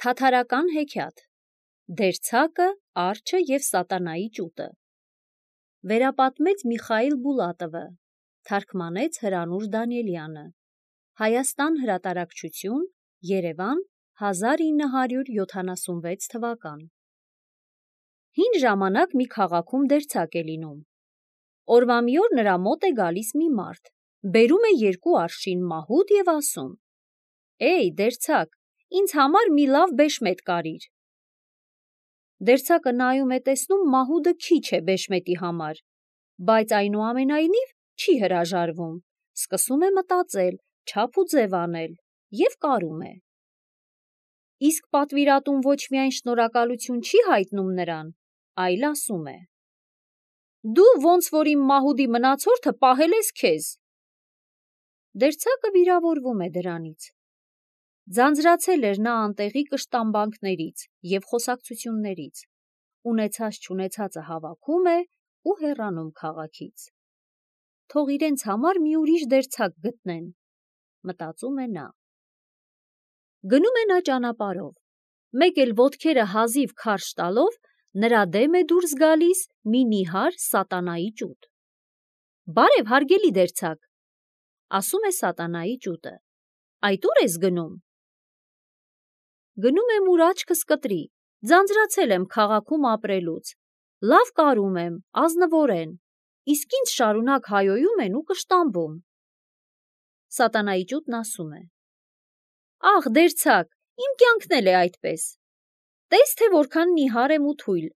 Թաթարական հեքիաթ Դերձակը, արջը և սատանայի ճուտը Վերապատմեց Միխայիլ Բուլատովը, թարգմանեց Հրանուշ Դանիելյանը, Հայաստան հրատարակչություն, Երևան, 1976 թվական։ Հին ժամանակ մի քաղաքում դերձակ է լինում։ Օրվա մի օր նրա մոտ է գալիս մի մարդ, բերում է 2 արշին մահուդ և ասում. «Էй, դերձակ, ինձ համար մի լավ բեշմետ կարիր»։ Դերձակը նայում է, տեսնում մահուդը քիչ է բեշմետի համար, բայց այնուամենայնիվ չի հրաժարվում, սկսում է մտածել, չափ ու ձև անել և կարում է։ Իսկ պատվիրատուն ոչ միայն շնորհակալություն չի հայտնում նրան, այլ ասում է. «Դու ոնց որ իմ մահուդի մնացորդը պահել ես քեզ»։ Դերձակը վիրավորվում է դրանից։ Ձանձրացել էր նա անտեղի կշտամբանքներից և խոսակցություններից, ունեցած-չունեցածը հավաքում է ու հեռանում քաղաքից։ Թող իրենց համար մի ուրիշ դերձակ գտնեն, մտածում է նա։ Գնում է նա ճանապարհով, մեկ էլ ոտքերը հազիվ քարշ տալով նրա դեմ է դուրս գալիս մի նիհար սատանայի ճուտ։ «Բարև, հարգելի դերձակ», ասում է սատանայի ճուտը, «այդ ուր ես գնում»։ Գնում եմ, ուր աչքս կտրի, ձանձրացել եմ քաղաքում ապրելուց, լավ կարում եմ, ազնվորեն, իսկ ինձ շարունակ հայոյում են ու կշտամբում։ Սատանայի ճուտն ասում է. «Ախ, դերձակ, իմ կյանքն էլ է այդպես։ Տես թե որքան նիհար եմ ու թույլ,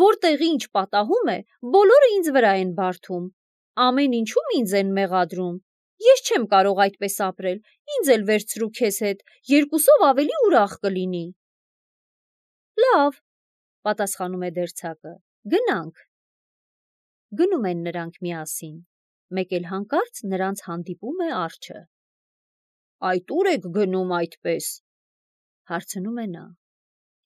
որտեղ ինչ պատահում է, բոլորը ինձ վրա են բարդում, ամեն ինչում ինձ են մեղադրում, ես չեմ կարող այդպես ապրել, ինձ էլ վերցրու քեզ հետ, 2-ով ավելի ուրախ կլինի»։ «Լավ», պատասխանում է դերձակը, «գնանք»։ Գնում են նրանք միասին, մեկ էլ հանկարծ նրանց հանդիպում է արջը։ «Այդ ուր եք գնում այդպես», հարցնում է նա։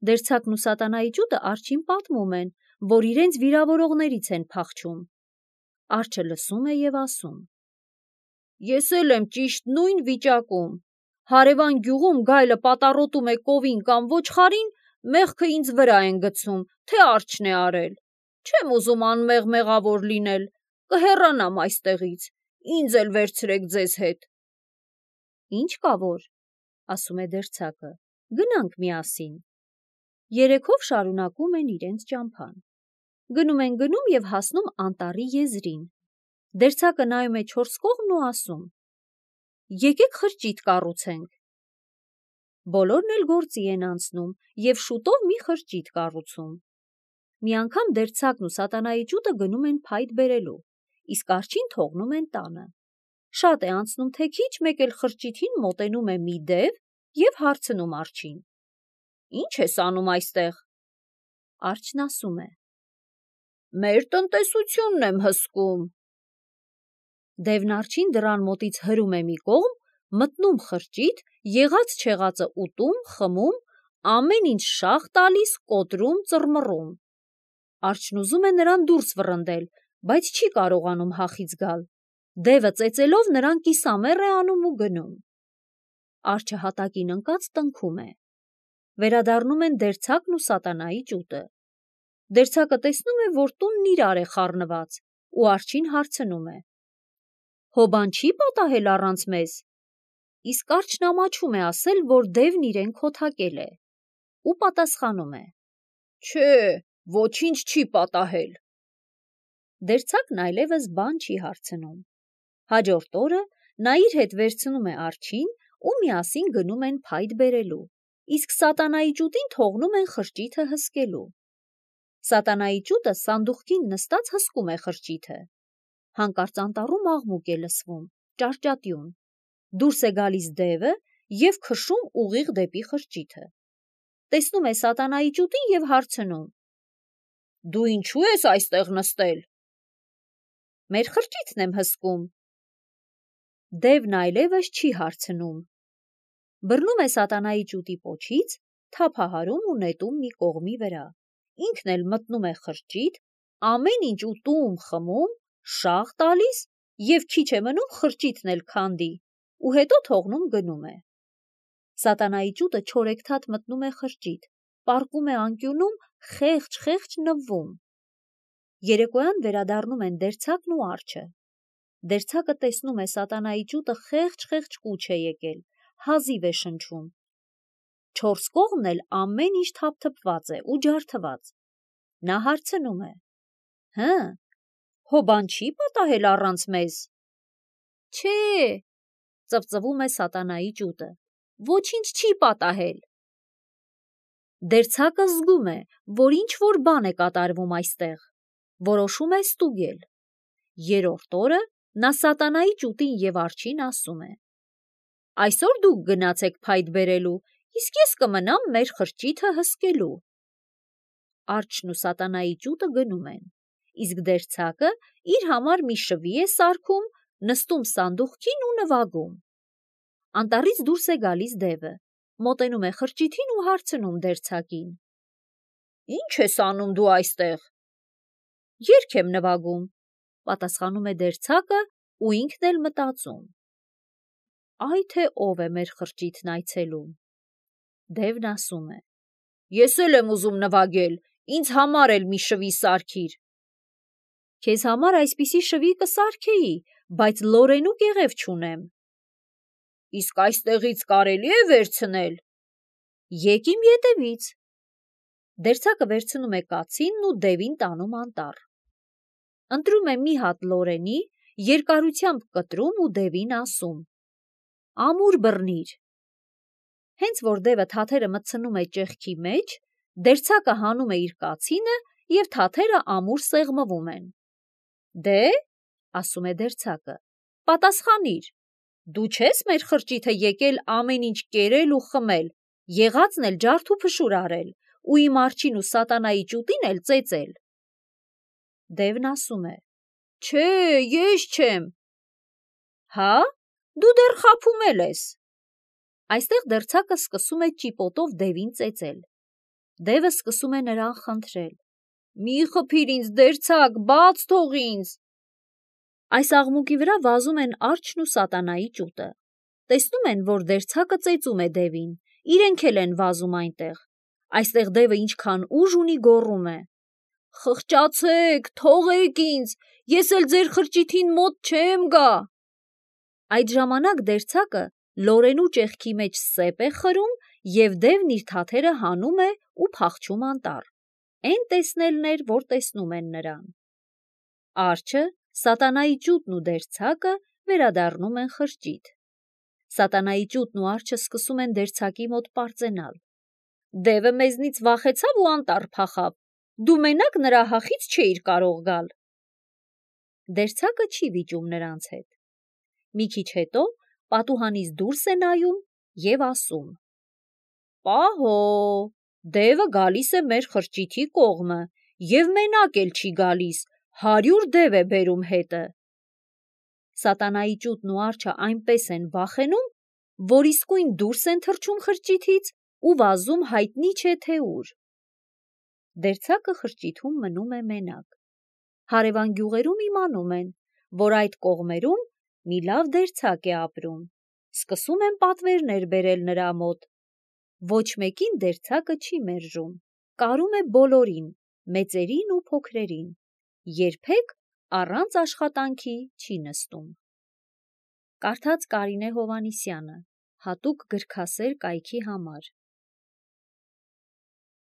Դերձակն ու սատանայի ճուտը արջին պատմում են, որ իրենց վիրավորողներից են փախչում։ Արջը լսում է և ասում. «Ես էլ եմ ճիշտ նույն վիճակում, հարևան գյուղում գայլը պատառոտում է կովին կամ ոչխարին, մեղքը ինձ վրա են գցում, թե արջն է արել, չեմ ուզում անմեղ մեղավոր լինել, կհեռանամ այստեղից, ինձ էլ վերցրեք ձեզ հետ»։ «Ինչ կա որ», ասում է դերձակը, «գնանք միասին»։ Երեքով շարունակում են իրենց ճամփան։ Գնում են և հասնում անտառի եզրին։ Դերձակը նայում է 4 կողմն ու ասում. «Եկեք խրճիթ կառուցենք»։ Բոլորն էլ գործի են անցնում և շուտով մի խրճիթ կառուցում։ Մի անգամ դերձակն ու սատանայի ճուտը գնում են փայտ բերելու, իսկ արջին թողնում են տանը։ Շատ է անցնում, թե քիչ, մեկ էլ խրճիթին մոտենում է մի դև և հարցնում արջին. «Ի՞նչ ես անում այստեղ»։ Արջն ասում է. «Մեր տնտեսությունն եմ հսկում»։ Դևն արջին դռան մոտից հրում է մի կողմ, մտնում խրճիթ, եղած-չեղածը ուտում, խմում, ամեն ինչ շաղ տալիս, կոտրում, ծռմռում։ Արջն ուզում է նրան դուրս վռնդել, բայց չի կարողանում հախից գալ։ Դևը ծեծելով նրան կիսամեռ է անում ու գնում։ Արջը հատակին ընկած տնքում է։ Վերադառնում են դերձակն ու սատանայի ճուտը։ Դերձակը տեսնում է, որ տունն իրար է խառնված, ու արջին հարցնում է. «Հոբան չի՞ պատահել առանց մեզ»։ Իսկ արջն ամաչում է ասել, որ դևն իրեն քոթակել է, ու պատասխանում է. «Չէ, ոչինչ չի պատահել»։ Դերձակն այլևս բան չի հարցնում։ Հաջորդ օրը նա իր հետ վերցնում է արջին ու միասին գնում են փայտ բերելու, իսկ սատանայի ճուտին թողնում են խրճիթը հսկելու։ Սատանայի ճուտը սանդուղքին նստած հսկում է խրճիթը։ Հանկարծ անտառում աղմուկ է լսվում, ճարճատյուն։ Դուրս է գալիս դևը և քշում ուղիղ դեպի խրճիթը։ Տեսնում է սատանայի ճուտին և հարցնում. «Դու ինչու ես այստեղ նստել»։ «Մեր խրճիթն եմ հսկում»։ Դևն այլևս չի հարցնում։ Բռնում է սատանայի ճուտի պոչից, թափահարում ու նետում մի կողմի վրա, ինքն էլ մտնում է խրճիթ, ամեն ինչ ուտում, խմում, շաղ տալիս և քիչ է մնում խրճիթն էլ քանդի ու հետո թողնում գնում է։ Սատանայի ճուտը չորեքթաթ մտնում է խրճիթ, պառկում է անկյունում, խեղճ նվվում։ Երեկոյան վերադառնում են դերձակն ու արջը։ Դերձակը տեսնում է սատանայի ճուտը խեղճ կուչ է եկել, հազիվ է շնչում։ Չորս կողմն էլ ամեն ինչ թափթփված է ու ջարդված։ Նա հարցնում է. հո բան չի պատահել առանց մեզ։ Չէ, ծվծվում է սատանայի ճուտը, ոչինչ չի պատահել։ Դերձակը զգում է, որ ինչ-որ բան է կատարվում այստեղ, որոշում է ստուգել։ Երրորդ օրը նա սատանայի ճուտին և արջին ասում է. այսօր դուք գնացեք փայտ բերելու, իսկ ես կմնամ մեր խրճիթը հսկելու։ Արջն ու սատանայի ճուտը գնում են, իսկ դերձակը իր համար մի շվի է սարքում, նստում սանդուղքին ու նվագում։ Անտառից դուրս է գալիս դևը, մոտենում է խրճիթին ու հարցնում դերձակին. Ի՞նչ ես անում դու այստեղ։ Երգ եմ նվագում, պատասխանում է դերձակը ու ինքն էլ մտածում. այ թե ով է մեր խրճիթն այցելում։ Դևն ասում է. ես էլ եմ ուզում նվագել, ինձ համար էլ մի շվի սարքիր։ Քեզ համար այսպիսի շվի կսարքեի, բայց լորենու կեղև չունեմ։ Իսկ այստեղից կարելի է վերցնել։ Եկ իմ ետևից։ Դերձակը վերցնում է կացինն ու դևին տանում անտառ։ Ընտրում է մի հատ լորենի, երկարությամբ կտրում ու դևին ասում. ամուր բռնիր։ Հենց որ դևը թաթերը մտցնում է ճեղքի մեջ, դերձակը հանում է իր կացինը և թաթերը ամուր սեղմվում են։ Դե, ասում է դերձակը, պատասխանիր, դու չես մեր խրճիթը եկել ամեն ինչ կերել ու խմել, եղածն էլ ջարդ ու փշուր արել, ու իմ արջին ու սատանայի ճուտին էլ ծեծել։ Դևն ասում է. չէ, ես չեմ։ Հա, դու դեռ խաբում էլ ես։ Այստեղ դերձակը սկսում է ճիպոտով դևին ծեծել։ Դևը սկսում է նրան խնդրել. մի խփիր ինձ, դերձակ, բաց թող ինձ։ Այս աղմուկի վրա վազում են արջն ու սատանայի ճուտը։ Տեսնում են, որ դերձակը ծեծում է դևին, իրենք էլ են վազում այնտեղ։ Այստեղ դևը ինչքան ուժ ունի գոռում է. խղճացեք, թողեք ինձ, ես էլ ձեր խրճիթին մոտ չեմ գա։ Այդ ժամանակ դերձակը լորենու ճեղքի մեջ սեպ է խրում և դևն իր թաթերը հանում է ու փախչում անտառ։ Էն տեսնելն էր, որ տեսնում են նրան։ Արջը, սատանայի ճուտն ու դերձակը վերադառնում են խրճիթ։ Սատանայի ճուտն ու արջը սկսում են դերձակի մոտ պարծենալ. դևը մեզնից վախեցավ ու անտառ փախավ, դու մենակ նրա հախից չէիր կարող գալ։ Դերձակը չի վիճում նրանց հետ։ Մի քիչ հետո պատուհանից դուրս է նայում և ասում. պահո, դևը գալիս է մեր խրճիթի կողմը և մենակ էլ չի գալիս, 100 դև է բերում հետը։ Սատանայի ճուտն ու արջը այնպես են վախենում, որ իսկույն դուրս են թռչում խրճիթից ու վազում հայտնի չէ թե ուր։ Դերձակը խրճիթում մնում է մենակ։ Հարևան գյուղերում իմանում են, որ այդ կողմերում մի լավ դերձակ է ապրում, սկսում են պատվերներ բերել նրա մոտ։ Ոչ մեկին դերձակը չի մերժում, կարում է բոլորին, մեծերին ու փոքրերին, երբեք առանց աշխատանքի չի նստում։ Կարդաց Կարինե Հովհաննիսյանը, հատուկ գրքասեր կայքի համար։